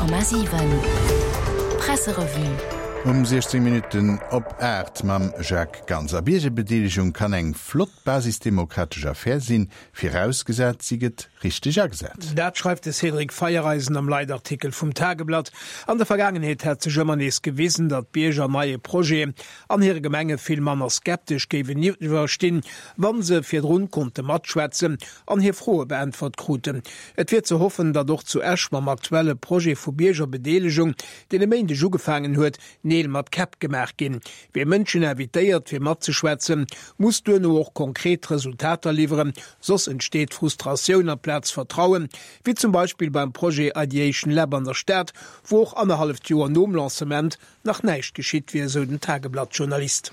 100,7 Presserevue. Um 16 Minutten op 8 mam Jacques Ganser. Biergerbedeelegung kann eng flott basisdemokratesch Affär sinn, virausgesat si gëtt richteg agesat. Dat schreift de Cédric Feiereisen am Leitartikel vum Tageblatt. An der Vergaangenheet hätt sech ëmmer nees gewisen, datt d'Bierger neie Projeten an hire Gemenge vill manner skeptesch géigeniwwer stinn, wa se virdrun konnte matschwätzen an hir Froe beäntwert kruten. Et wier ze hoffen, datt och zu Esch mam aktuelle Projet vu Biergerbedeelegung, deen e Méindeg ugefaangen huet, Neel mat Käpp gemaach ginn. Wie Mënschen invitéiert fir matzeschwätzen, muss duerno och konkret Resultater liwweren, soss entsteet Frustratioun amplaz Vertrauen, wéi zum Beispill beim Projet Ideation Lab an der Stad, wou och annerhalleft Joer nom Lancement nach näischt geschitt wier, esou den Tageblatt-Journalist.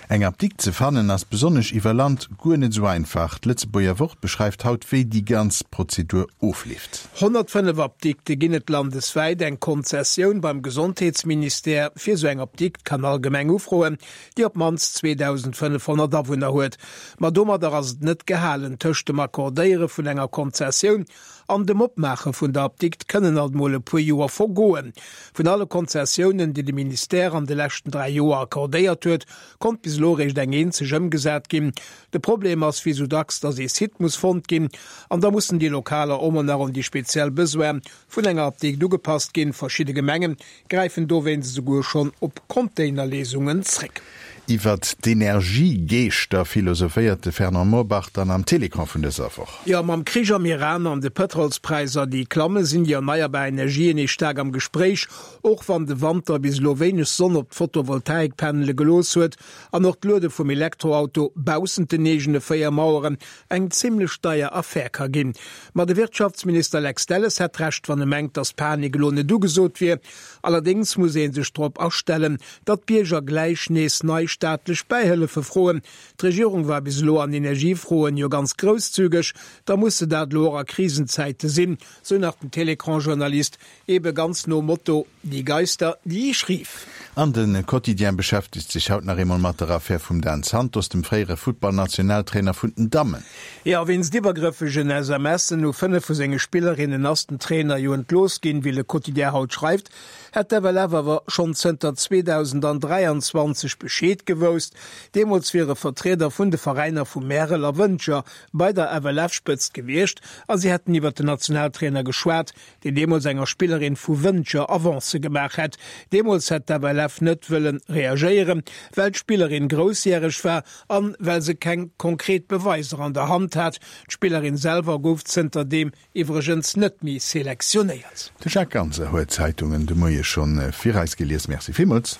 Eng Apdikt ze fannen ass besonnesch iwwer Land guer net esou einfach. D'Lëtzebuerger Wort beschreift haut wéi déi ganz Prozedur ofleeft. 105 Apdikte ginn et landeswäit. Eng Konzessioun beim Gesondheetsministère fir esou eng Apdikt kann all Gemeng ufroen, déi op d'mannst 2.500 Awunner huet. Ma domadder ass et net gehalen. Tëscht dem Accordéiere vun enger Konzessioun An dem Opmaache vun der Apdikt kënnen alt mol e puer Joer vergoen. Vun alle Konzessiounen, déi de Ministère an de leschten 3 Joer accordéiert huet, konnt bis elo eréischt eng eenzeg ëmgesat ginn. De Problem ass wéi sou dacks, datt ee Site muss fonnt ginn an da mussen déi Lokaler och mol nach un déi speziell Besoine vun enger Apdikt ugepasst ginn. Verschidde Gemenge gräifen dowéinst esouguer schonn op Containerléisungen zréck. Iwwert d'Energiegeeschter philosophéiert de Fernand Murbach dann am Télécran vun dëser Woch. Jo, mam Krich am Iran an de Pëtrolspräisser, déi klammen, sinn déi erneierbar Energien nees staark am Gespréich. Och wann de Wanter bis elo wéineg Sonn op d'Photovoltaikpannele gelooss huet an och d'Luede vum Elektroauto baussent den eegene 4 Maueren eng zimmlech deier Affär ka ginn. Ma de Wirtschaftsminister Lex Delles hätt Recht, wann e mengt, datt Panik elo net ugesot wier. Allerdéngs muss ee sech drop astellen, datt d'Bierger gläich nees nei staatlech Bäihëllefe froen. D'Regierung war bis elo an Energiefroen jo ganz grousszügeg, da muss se dat elo och a Krisenzäite sinn, sou nach den Télécran-Journalist, ebe ganz nom Motto, Die Geister, die ich rief. An de Quotidien beschäftegt sech haut nach eemol mat der Affär vum Dan Santos, dem fréiere Futtballnationaltrainer vun den Dammen. Jo, wéinst iwwergrëffegen SMSen u 5 vu senge Spillerinnen ass den Trainer jo entlooss ginn. Wéi Le Quotidien haut schreift, hätt d'FLF awer schonn zënter 2023 Bescheed gewousst. Deemools wiere Vertrieder vun de Veräiner vu Märel a Wëntger bei der FLF-Spëtzt gewiescht a si hätten iwwer den Nationaltrainer geschwat, deen deemools enger Spillerin vu Wëntger Avancë gemaach hätt. Deemools hätt d'FLF net wëlle reagéieren, well d'Spillerin groussjäreg war an well se keng konkret Beweiser an der Hand hat. D'Spillerin selwer gouf zënterdeem iwwregens net méi selektionéiert. De Jacques Ganser huet d'Zeitungen de Moie schonn fir eis gelies. Merci villmools.